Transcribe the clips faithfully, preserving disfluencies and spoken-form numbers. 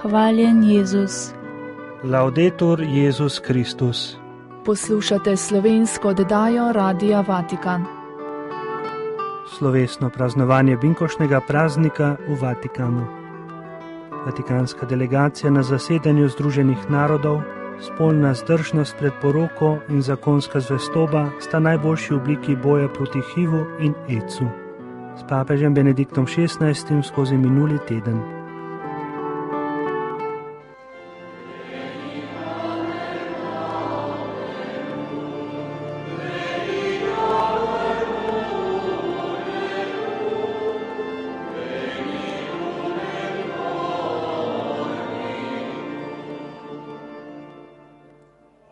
Hvaljen Jezus. Laudetur Jezus Kristus. Poslušate slovensko oddajo Radia Vatikan. Slovesno praznovanje binkošnega praznika v Vatikanu. Vatikanska delegacija na zasedanju Združenih narodov, spolna zdržnost pred poroko in zakonska zvestoba sta najboljši obliki boja proti hivu in ecu. S papežem Benediktom šestnajstim skozi minuli teden.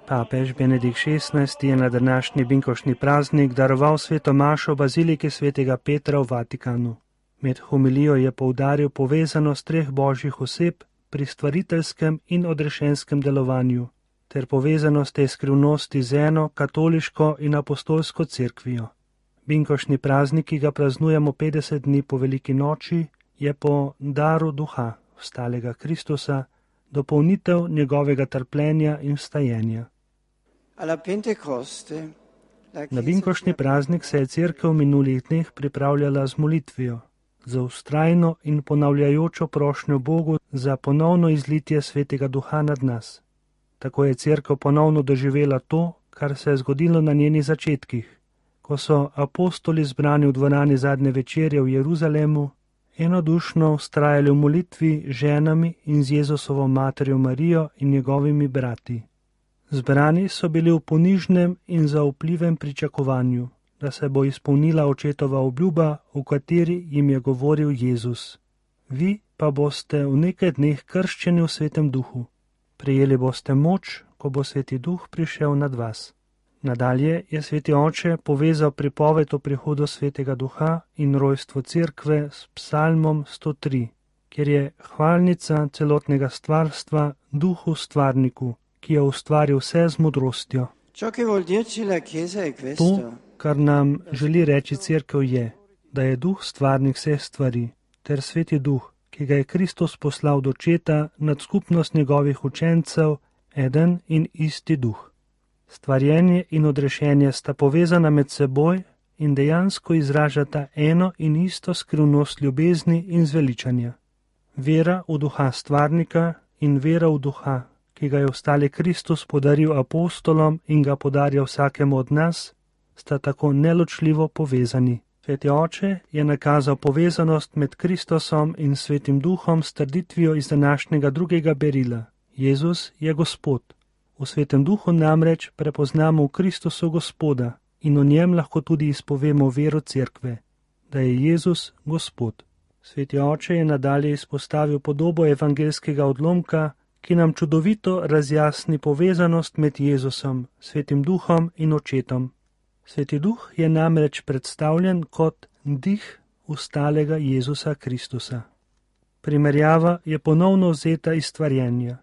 Papež Benedikt šestnajsti je na današnji binkošni praznik daroval sveto mašo v baziliki svetega Petra v Vatikanu. Med homilijo je poudaril povezanost treh božjih oseb pri stvariteljskem in odrešenskem delovanju, ter povezanost te skrivnosti z eno katoliško in apostolsko cerkvijo. Binkošni praznik, ki ga praznujemo petdeset dni po veliki noči, je po daru duha vstalega Kristusa dopolnitev njegovega trpljenja in vstajenja. Na binkošni praznik se je cerkev v minulih dneh pripravljala z molitvijo, za vztrajno in ponavljajočo prošnjo Bogu za ponovno izlitje svetega duha nad nas. Tako je cerkev ponovno doživela to, kar se je zgodilo na njenih začetkih, ko so apostoli zbrani v dvorani zadnje večerje v Jeruzalemu enodušno vztrajali v molitvi z ženami in z Jezusovo materjo Marijo in njegovimi brati. Zbrani so bili v ponižnem in zaupljivem pričakovanju, da se bo izpolnila očetova obljuba, v kateri jim je govoril Jezus. Vi pa boste v nekaj dneh krščeni v svetem duhu. Prejeli boste moč, ko bo sveti duh prišel nad vas. Nadalje je sveti oče povezal pripoved o prihodu svetega duha in rojstvo cerkve s psalmom sto tri, kjer je hvalnica celotnega stvarstva duhu stvarniku, ki je ustvaril vse z modrostjo. To, kar nam želi reči cerkev, je, da je duh stvarnik vseh stvari, ter sveti duh, ki ga je Kristus poslal do očeta nad skupnost njegovih učencev, eden in isti duh. Stvarjenje in odrešenje sta povezana med seboj in dejansko izražata eno in isto skrivnost ljubezni in zveličanja. Vera v duha stvarnika in vera v duha, ki ga je vstali Kristus podaril apostolom in ga podarja vsakemu od nas, sta tako neločljivo povezani. Sveti oče je nakazal povezanost med Kristusom in svetim duhom s trditvijo iz današnjega drugega berila. Jezus je Gospod. V svetem duhu namreč prepoznamo v Kristusu Gospoda in o njem lahko tudi izpovemo vero cerkve, da je Jezus Gospod. Sveti oče je nadalje izpostavil podobo evangelskega odlomka, ki nam čudovito razjasni povezanost med Jezusom, svetim duhom in očetom. Sveti duh je namreč predstavljen kot dih vstalega Jezusa Kristusa. Primerjava je ponovno vzeta iz stvarjenja.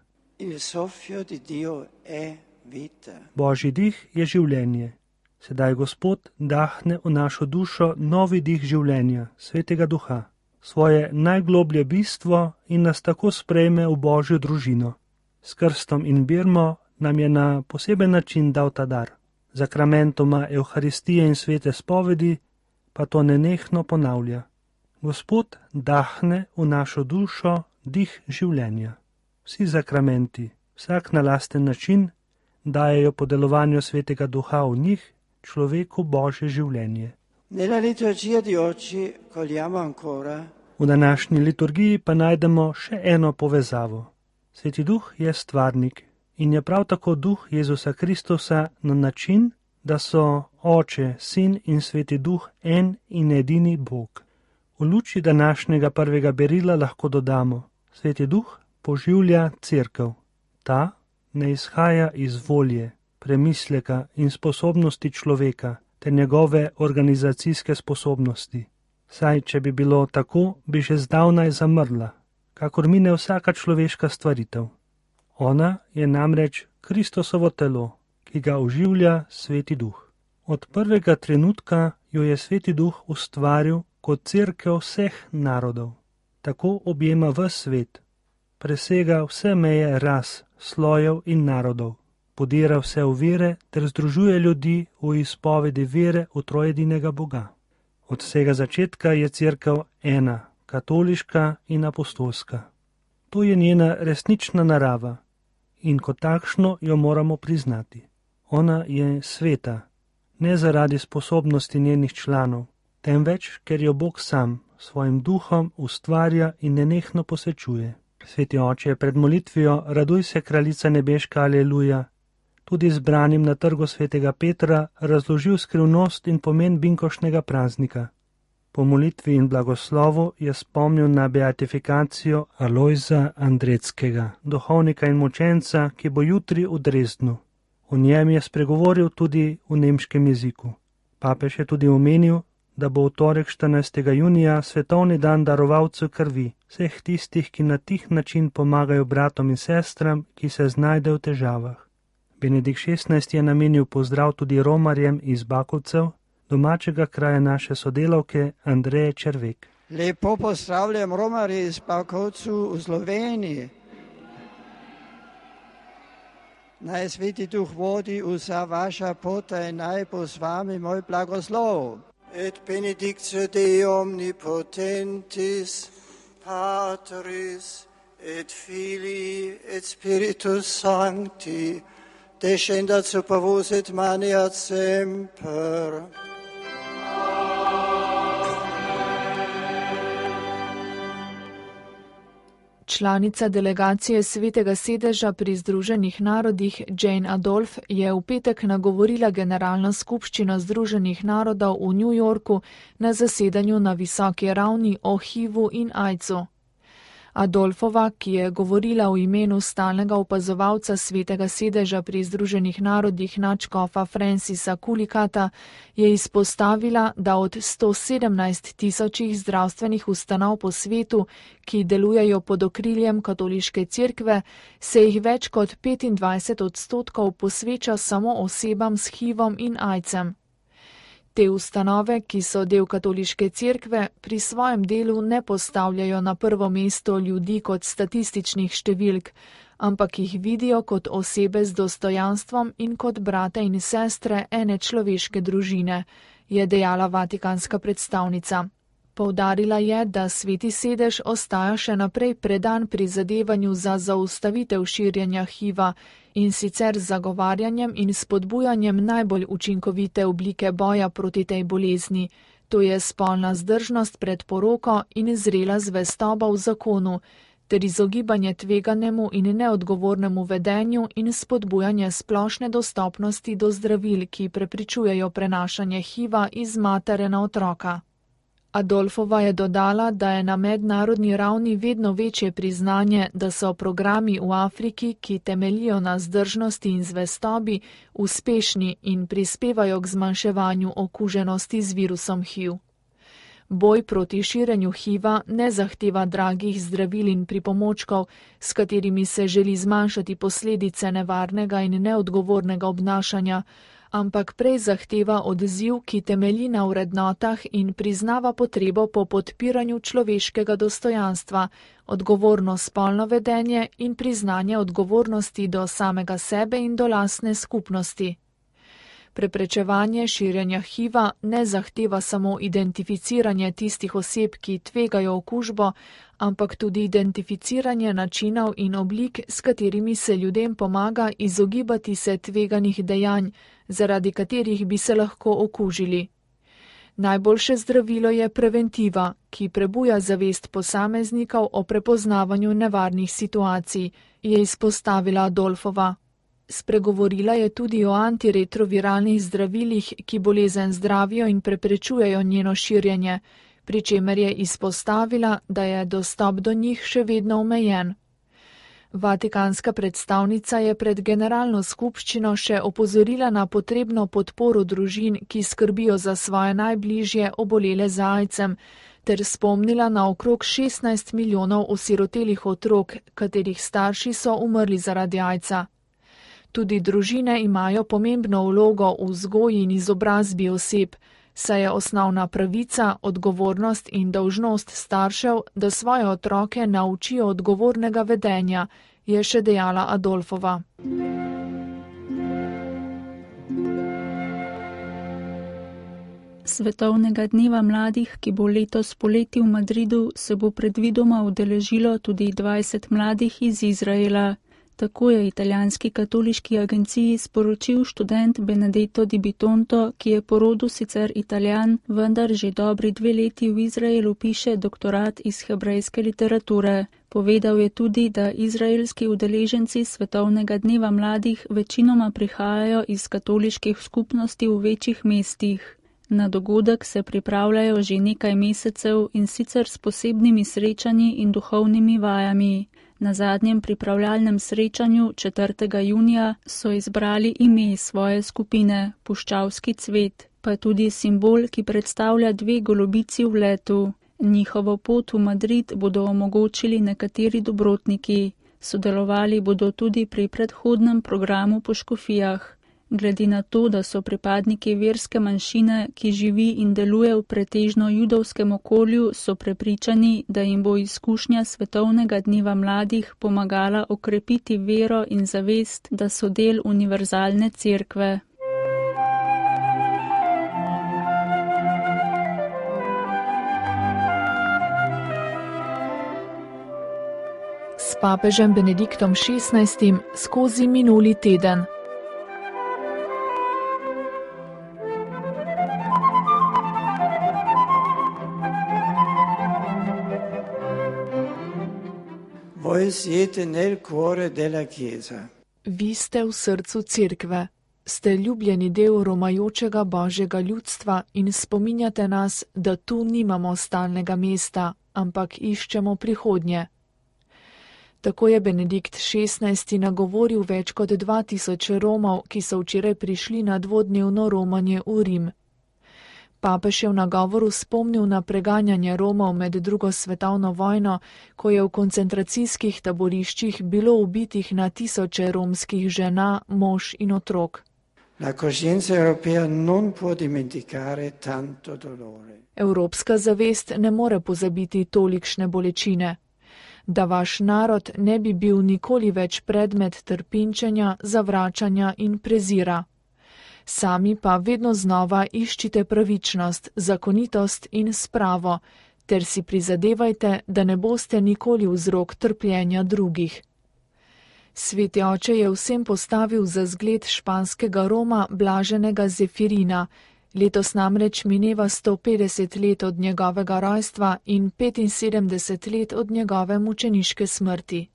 Božji dih je življenje. Sedaj Gospod dahne v našo dušo novi dih življenja, svetega duha, svoje najgloblje bistvo in nas tako sprejme v Božjo družino. S krstom in birmo nam je na poseben način dal ta dar. Zakramentoma Evharistije in svete spovedi pa to nenehno ponavlja. Gospod dahne v našo dušo dih življenja. Vsi zakramenti, vsak na lasten način, dajejo po delovanju svetega duha v njih človeku Božje življenje. V današnji liturgiji pa najdemo še eno povezavo. Sveti duh je stvarnik in je prav tako duh Jezusa Kristusa na način, da so Oče, Sin in Sveti duh en in edini Bog. V luči današnjega prvega berila lahko dodamo, Sveti duh poživlja cerkev. Ta ne izhaja iz volje, premisleka in sposobnosti človeka ter njegove organizacijske sposobnosti. Saj, če bi bilo tako, bi že zdavnaj zamrla, kakor mine vsaka človeška stvaritev. Ona je namreč Kristusovo telo, ki ga oživlja Sveti duh. Od prvega trenutka jo je Sveti duh ustvaril kot cerkev vseh narodov. Tako objema ves svet. presega vse meje ras, slojev in narodov, podira vse ovire ter združuje ljudi v izpovedi vere v trojedinega Boga. Od vsega začetka je Cerkev ena, katoliška in apostolska. To je njena resnična narava in kot takšno jo moramo priznati. Ona je sveta, ne zaradi sposobnosti njenih članov, temveč, ker jo Bog sam svojim duhom ustvarja in nenehno posvečuje. Sveti oče, pred molitvijo Raduj se, kraljica nebeška, aleluja, tudi zbranim na trgu svetega Petra razložil skrivnost in pomen binkošnega praznika. Po molitvi in blagoslovu je spomnil na beatifikacijo Alojza Andreckega, duhovnika in mučenca, ki bo jutri v Dresdnu. O njem je spregovoril tudi v nemškem jeziku. Papež je tudi omenil, da bo v torek štirinajstega junija svetovni dan darovalcev krvi, vseh tistih, ki na tih način pomagajo bratom in sestram, ki se znajdejo v težavah. Benedikt šestnajsti je namenil pozdrav tudi romarjem iz Bakovcev, domačega kraja naše sodelavke Andreje Červek. Lepo pozdravljam romarje iz Bakovcev v Sloveniji. Naj Sveti Duh vodi vsa vaša pota in naj bo z vami moj blagoslov. Et benedictio Dei omnipotentis, Patris, et Filii, et Spiritus Sancti, descendat super vos et maneat semper. Članica delegacije Svetega sedeža pri Združenih narodih Jane Adolf je v petek nagovorila Generalno skupščino Združenih narodov v New Yorku na zasedanju na visoki ravni o H I V-u in AIDS-u. Adolfova, ki je govorila v imenu stalnega opazovalca Svetega sedeža pri Združenih narodih nadškofa Francisa Kulikata, je izpostavila, da od sto sedemnajst tisočih zdravstvenih ustanov po svetu, ki delujejo pod okriljem katoliške cerkve, se jih več kot petindvajset odstotkov posveča samo osebam s H I V-om in AIDS-em. Te ustanove, ki so del katoliške cerkve, pri svojem delu ne postavljajo na prvo mesto ljudi kot statističnih številk, ampak jih vidijo kot osebe z dostojanstvom in kot brate in sestre ene človeške družine, je dejala vatikanska predstavnica. Poudarila je, da Sveti sedež ostaja še naprej predan prizadevanju za zaustavitev širjenja H I V-a in sicer z zagovarjanjem in spodbujanjem najbolj učinkovite oblike boja proti tej bolezni, to je spolna zdržnost pred poroko in zrela zvestoba v zakonu, ter izogibanje tveganemu in neodgovornemu vedenju in spodbujanje splošne dostopnosti do zdravil, ki preprečujejo prenašanje H I V-a iz matere na otroka. Adolfova je dodala, da je na mednarodni ravni vedno večje priznanje, da so programi v Afriki, ki temeljijo na zdržnosti in zvestobi, uspešni in prispevajo k zmanjševanju okuženosti z virusom H I V. Boj proti širjenju H I V-a ne zahteva dragih zdravil in pripomočkov, s katerimi se želi zmanjšati posledice nevarnega in neodgovornega obnašanja, ampak prej zahteva odziv, ki temelji na vrednotah in priznava potrebo po podpiranju človeškega dostojanstva, odgovorno spolno vedenje in priznanje odgovornosti do samega sebe in do lastne skupnosti. Preprečevanje širjenja H I V-a ne zahteva samo identificiranje tistih oseb, ki tvegajo okužbo, ampak tudi identificiranje načinov in oblik, s katerimi se ljudem pomaga izogibati se tveganih dejanj, zaradi katerih bi se lahko okužili. Najboljše zdravilo je preventiva, ki prebuja zavest posameznikov o prepoznavanju nevarnih situacij, je izpostavila Adolfova. Spregovorila je tudi o antiretroviralnih zdravilih, ki bolezen zdravijo in preprečujejo njeno širjenje, pri čemer je izpostavila, da je dostop do njih še vedno omejen. Vatikanska predstavnica je pred generalno skupščino še opozorila na potrebno podporo družin, ki skrbijo za svoje najbližje obolele z AIDS-em, ter spomnila na okrog šestnajst milijonov osirotelih otrok, katerih starši so umrli zaradi AIDS-a. Tudi družine imajo pomembno vlogo v vzgoji in izobrazbi oseb, saj je osnovna pravica, odgovornost in dolžnost staršev, da svoje otroke naučijo odgovornega vedenja, je še dejala Adolfova. Svetovnega dneva mladih, ki bo letos poleti v Madridu, se bo predvidoma udeležilo tudi dvajset mladih iz Izraela. Tako je italijanski katoliški agenciji sporočil študent Benedetto Di Bitonto, ki je po rodu sicer Italijan, vendar že dobri dve leti v Izraelu piše doktorat iz hebrejske literature. Povedal je tudi, da izraelski udeleženci Svetovnega dneva mladih večinoma prihajajo iz katoliških skupnosti v večjih mestih. Na dogodek se pripravljajo že nekaj mesecev in sicer s posebnimi srečanji in duhovnimi vajami. Na zadnjem pripravljalnem srečanju četrtega junija so izbrali ime svoje skupine, Puščavski cvet, pa tudi simbol, ki predstavlja dve golobici v letu. Njihovo pot v Madrid bodo omogočili nekateri dobrotniki. Sodelovali bodo tudi pri predhodnem programu po škofijah. Glede na to, da so pripadniki verske manjšine, ki živi in deluje v pretežno judovskem okolju, so prepričani, da jim bo izkušnja Svetovnega dneva mladih pomagala okrepiti vero in zavest, da so del univerzalne cerkve. S papežem Benediktom šestnajstim skozi minuli teden. Voi siete nel cuore della Chiesa. Vi ste v srcu cerkve, ste ljubljeni del romajočega božjega ljudstva in spominjate nas, da tu nimamo stalnega mesta, ampak iščemo prihodnje. Tako je Benedikt šestnajsti nagovoril več kot dva tisoč Romov, ki so včeraj prišli na dvodnevno romanje v Rim. Papež je v nagovoru spomnil na preganjanje Romov med drugo svetovno vojno, ko je v koncentracijskih taboriščih bilo ubitih na tisoče romskih žena, mož in otrok. Evropska zavest ne more pozabiti tolikšne bolečine. Da vaš narod ne bi bil nikoli več predmet trpinčenja, zavračanja in prezira. Sami pa vedno znova iščite pravičnost, zakonitost in spravo, ter si prizadevajte, da ne boste nikoli vzrok trpljenja drugih. Sveti oče je vsem postavil za zgled španskega Roma blaženega Zefirina. Letos namreč mineva sto petdeset let od njegovega rojstva in petinsedemdeset let od njegove mučeniške smrti.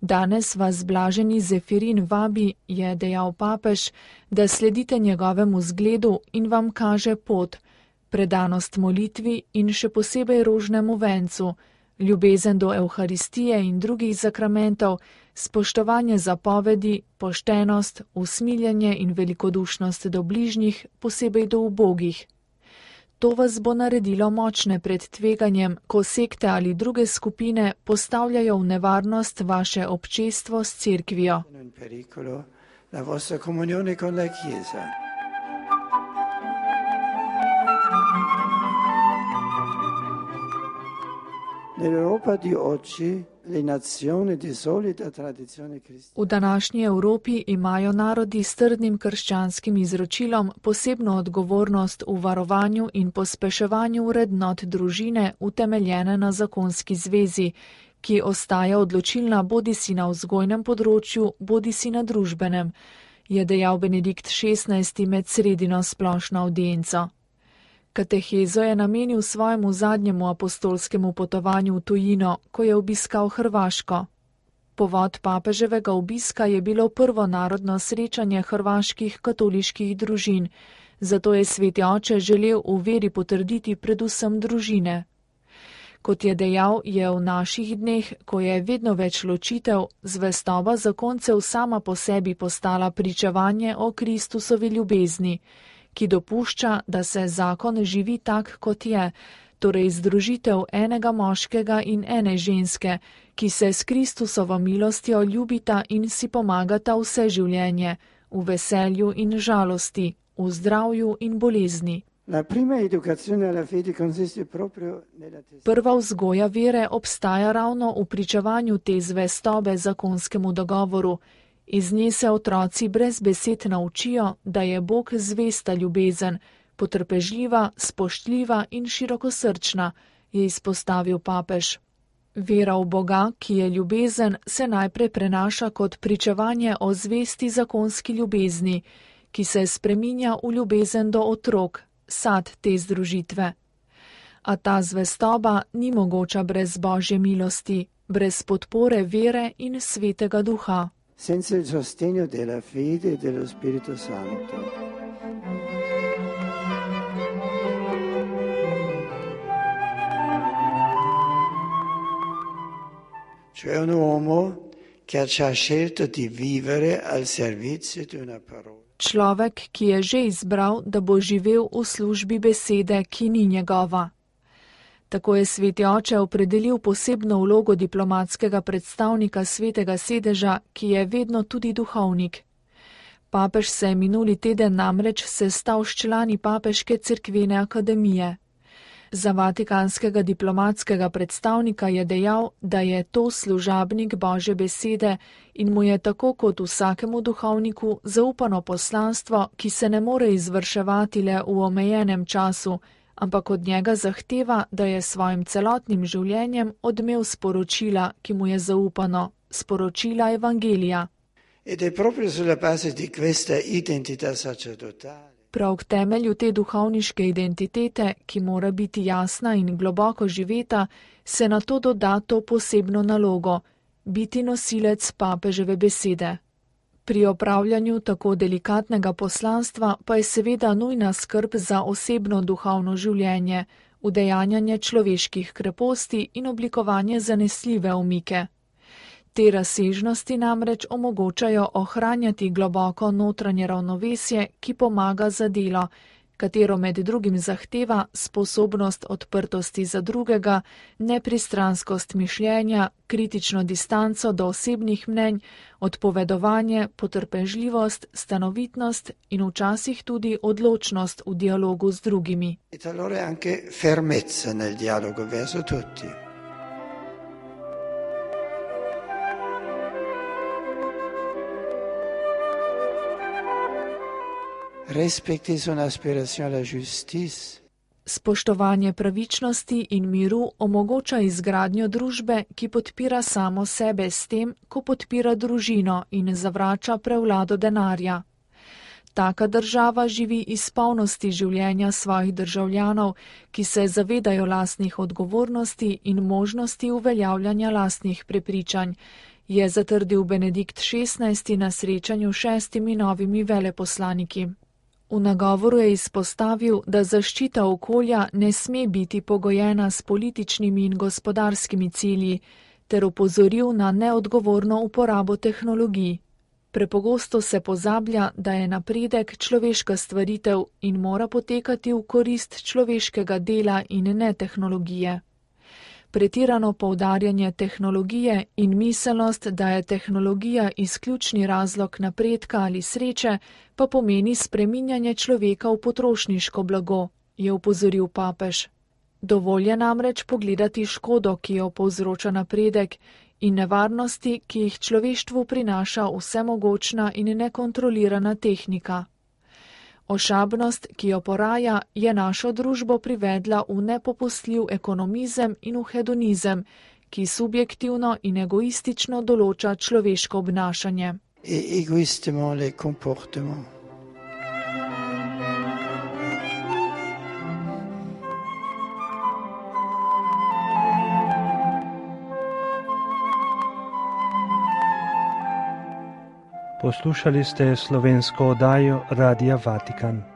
Danes vas blaženi Zefirin vabi, je dejal papež, da sledite njegovemu zgledu in vam kaže pot, predanost molitvi in še posebej rožnemu vencu, ljubezen do Evharistije in drugih zakramentov, spoštovanje zapovedi, poštenost, usmiljenje in velikodušnost do bližnjih, posebej do ubogih. To vas bo naredilo močne pred tveganjem, ko sekte ali druge skupine postavljajo v nevarnost vaše občestvo s cerkvijo. V današnji Evropi imajo narodi s trdnim krščanskim izročilom posebno odgovornost v varovanju in pospeševanju vrednot družine utemeljene na zakonski zvezi, ki ostaja odločilna bodisi na vzgojnem področju, bodisi na družbenem, je dejal Benedikt šestnajsti med sredino splošno avdienco. Katehezo je namenil svojemu zadnjemu apostolskemu potovanju v tujino, ko je obiskal Hrvaško. Povod papeževega obiska je bilo prvo narodno srečanje hrvaških katoliških družin, zato je sveti oče želel v veri potrditi predvsem družine. Kot je dejal, je v naših dneh, ko je vedno več ločitev, zvestoba zakoncev sama po sebi postala pričevanje o Kristusovi ljubezni, ki dopušča, da se zakon živi tak, kot je, torej združitev enega moškega in ene ženske, ki se s Kristusovo milostjo ljubita in si pomagata vse življenje, v veselju in žalosti, v zdravju in bolezni. Prva vzgoja vere obstaja ravno v pričevanju te zvestobe zakonskemu dogovoru. Iz nje se otroci brez besed naučijo, da je Bog zvesta ljubezen, potrpežljiva, spoštljiva in širokosrčna, je izpostavil papež. Vera v Boga, ki je ljubezen, se najprej prenaša kot pričevanje o zvesti zakonski ljubezni, ki se spreminja v ljubezen do otrok, sad te združitve. A ta zvestoba ni mogoča brez Božje milosti, brez podpore vere in svetega duha. Senza il sostegno della fede e dello Spirito Santo. Cioè un uomo che ha scelto di vivere al servizio di una parola. Človek, ki je že izbral, da bo živel v službi besede, ki ni njegova. Tako je sveti oče opredelil posebno vlogo diplomatskega predstavnika svetega sedeža, ki je vedno tudi duhovnik. Papež se je minuli teden namreč sestal s člani Papeške cerkvene akademije. Za vatikanskega diplomatskega predstavnika je dejal, da je to služabnik Božje besede in mu je tako kot vsakemu duhovniku zaupano poslanstvo, ki se ne more izvrševati le v omejenem času, ampak od njega zahteva, da je svojim celotnim življenjem odmev sporočila, ki mu je zaupano, sporočila Evangelija. Ed è proprio sulla base di questa identità sacerdotale. Prav k temelju te duhovniške identitete, ki mora biti jasna in globoko živeta, se na to doda to posebno nalogo – biti nosilec papeževe besede. Pri opravljanju tako delikatnega poslanstva pa je seveda nujna skrb za osebno duhovno življenje, udejanjanje človeških kreposti in oblikovanje zanesljive omike. Te razsežnosti namreč omogočajo ohranjati globoko notranje ravnovesje, ki pomaga za delo, katero med drugim zahteva sposobnost odprtosti za drugega, nepristranskost mišljenja, kritično distanco do osebnih mnenj, odpovedovanje, potrpežljivost, stanovitnost in včasih tudi odločnost v dialogu z drugimi. E allora anche fermezza nel dialogo verso tutti. Respecti sono aspirazione alla giustizia. Spoštovanje pravičnosti in miru omogoča izgradnjo družbe, ki podpira samo sebe s tem, ko podpira družino in zavrača prevlado denarja. Taka država živi iz polnosti življenja svojih državljanov, ki se zavedajo lastnih odgovornosti in možnosti uveljavljanja lastnih prepričanj, je zatrdil Benedikt šestnajsti na srečanju šestimi novimi veleposlaniki. V nagovoru je izpostavil, da zaščita okolja ne sme biti pogojena s političnimi in gospodarskimi cilji, ter opozoril na neodgovorno uporabo tehnologij. Prepogosto se pozablja, da je napredek človeška stvaritev in mora potekati v korist človeškega dela in ne tehnologije. Pretirano poudarjanje tehnologije in miselnost, da je tehnologija izključni razlog napredka ali sreče, pa pomeni spreminjanje človeka v potrošniško blago, je opozoril papež. Dovolj je namreč pogledati škodo, ki jo povzroča napredek, in nevarnosti, ki jih človeštvu prinaša vsemogočna in nekontrolirana tehnika. Ošabnost, ki jo poraja, je našo družbo privedla v nepopustljiv ekonomizem in v hedonizem, ki subjektivno in egoistično določa človeško obnašanje. E egoistement les comportements. Poslušali ste slovensko oddajo Radia Vatikan.